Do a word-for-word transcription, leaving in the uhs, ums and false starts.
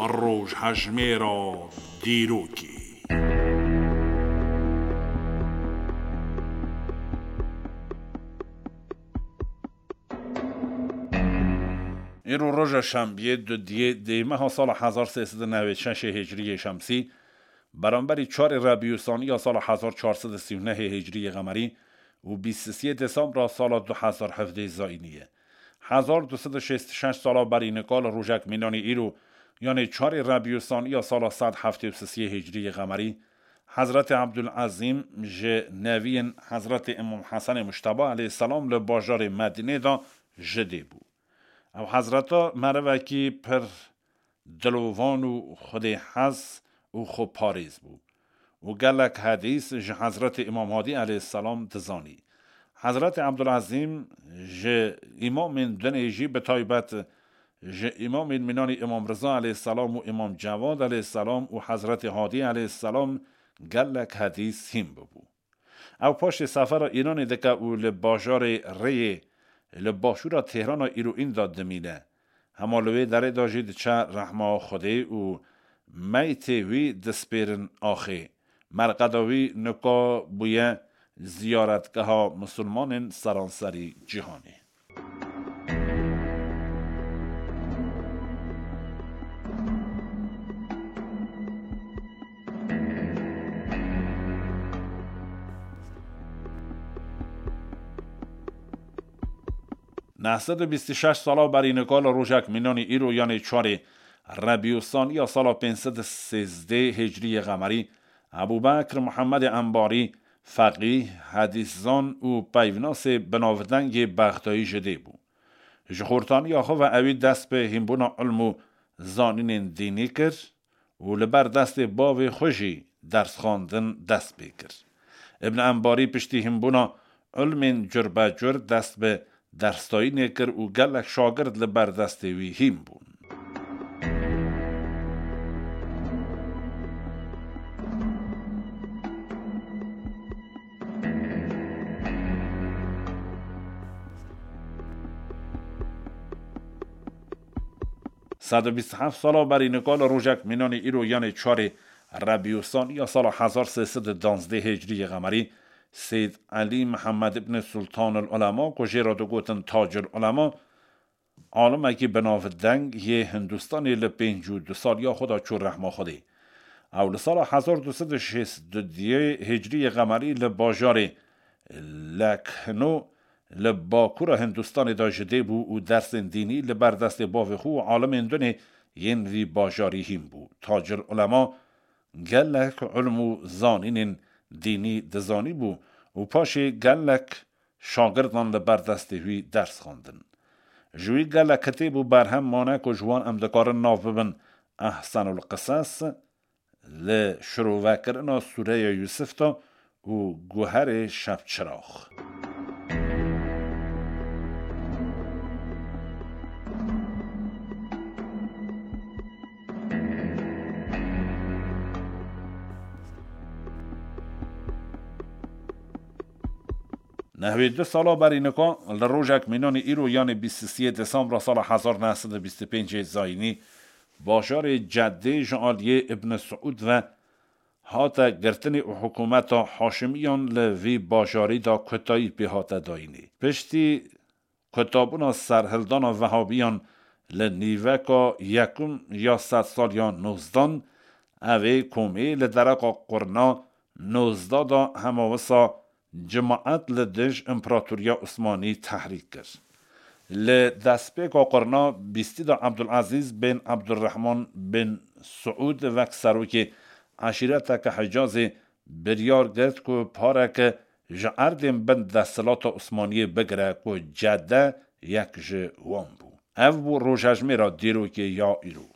Rojhejmêra dîrokê. Îro roja şembiyê, dudiyê dêmeha sala hezar sê sed û newêd şeşê hicriyê şemsî, beramberî çarê Rebîûsanî ya sala hezar çar sed û sî û nehê hicriyê qemerî û bîst û sê desembra sala du hezar hevdeh zayînî ye. Hezar du sed û şêst û şeş sala berî nika li rojek mînanî îro, yanê çarê Rebîûsanî ya sala sed heftê û sê hicriyê qemerî, Hezretê Ebdulezîm ji neviyên Hezretê Îmam Hesenê Mujteba aleyhisselam li bajarê Medînê de ji dê bû. Ew hezreta merivekî pir dilovan û xwedêhez û xweparêz bû û gelek hedîs ji Hezretê Îmam Hadî aleyhisselam dizanî. Hezretê Ebdulezîm ji îmamên dinê jî, bi taybet ji îmamên mînanî Îmam Riza aleyhisselam û Îmam Cewad aleyhisselam û Hezretê Hadî aleyhisselam gelek hedîs hîn bibû. Ew paşê sefera Îranê dike û li bajarê Rêyê, li başûra Têhrana îroîn de dimîne. Hema li wê derê de jî diçe rehma Xwedê û meytê wî dispêrin axê. Merqeda wî nika bûye ziyaretgeha misilmanên seranserî cîhanê. Neh sed û bîst û şeş sala berî nika li rojek mînanî îro, yanê çarê Rebîûsanî ya sala pênc sed û sêzdeh hicriyê qemerî, Ebû Bekr Muhemmedê Embarî, feqîh, hedîszan û peyvnasê binavdengê Bexdayî ji dê bû. Ji xortaniya xwe ve ewî dest bi hînbûna ilm û zanînên dînî kir û li ber destê bavê xwe jî dersxwendin dest pê kir. Ibn Embarî piştî hînbûna ilmên curbecur dest bi dersdayînê kir û gelek şagird li ber destê wî hîn bûn. Sed û bîst û heft sala berî nika li rojek mînanî îro, yanê çarê Rebîûsanî ya sala hezar sê sed û duwazdeh hicriyê qemerî, Seyd Elî Mihemed ibn Sultan el Ulema, ku jê re digotin Tacul Ulema, alimekî binavdeng yê Hindistanê, li pêncî û du saliya xwe de çû rehma Xwedê. Ew li sala hezar du sed û şêst û duyê hicriyê qemerî li bajarê Lekhno li bakûra Hindistanê de ji dê bû û dersên dînî li ber destê bavê xwe û alimên dinê yên vî bajarî hîn bû. Tacil Ulema gelek ilm û zanînên dînî dizanîbû û paşê gelek şagirdan li ber destê wî ders xwendin. Ji wî gelek kitêb û berhem mane ku ji wan em dikarin nav bibin Ehsenul Qisas, li şirovekirina Sûreya Yûsif de û Guherê Şevçirax. Nehwê du sala berî nika, li rojek mînanî îro, yanê bîst û sê desembra sala hezar neh sed û bîst û pêncê zayînî, bajarê Ceddê ji aliyê Ibn Siûd ve hate girtinê û hikûmeta Haşimiyan li vî bajarî de kutayî pê hate dayînê. Piştî kutabûna serhildana Vehabiyan li nîveka yekum ya sedsaliya nozdan, ev ê komê li dereqa qurna nozda de hema wisa cimaet li dij Împaratoriya Osmanî tehrîk kir. Li destpêka qurna bîstî de Ebdulezîz bin Ebdurrehman bin Siûd wek serokê eşîreteke Hicazê biryar girt ku pareke ji erdên bin desthilata Osmaniyê bigire ku Cedde yek ji wan bû. Ev bû rojhejmêra dîrokê ya îro.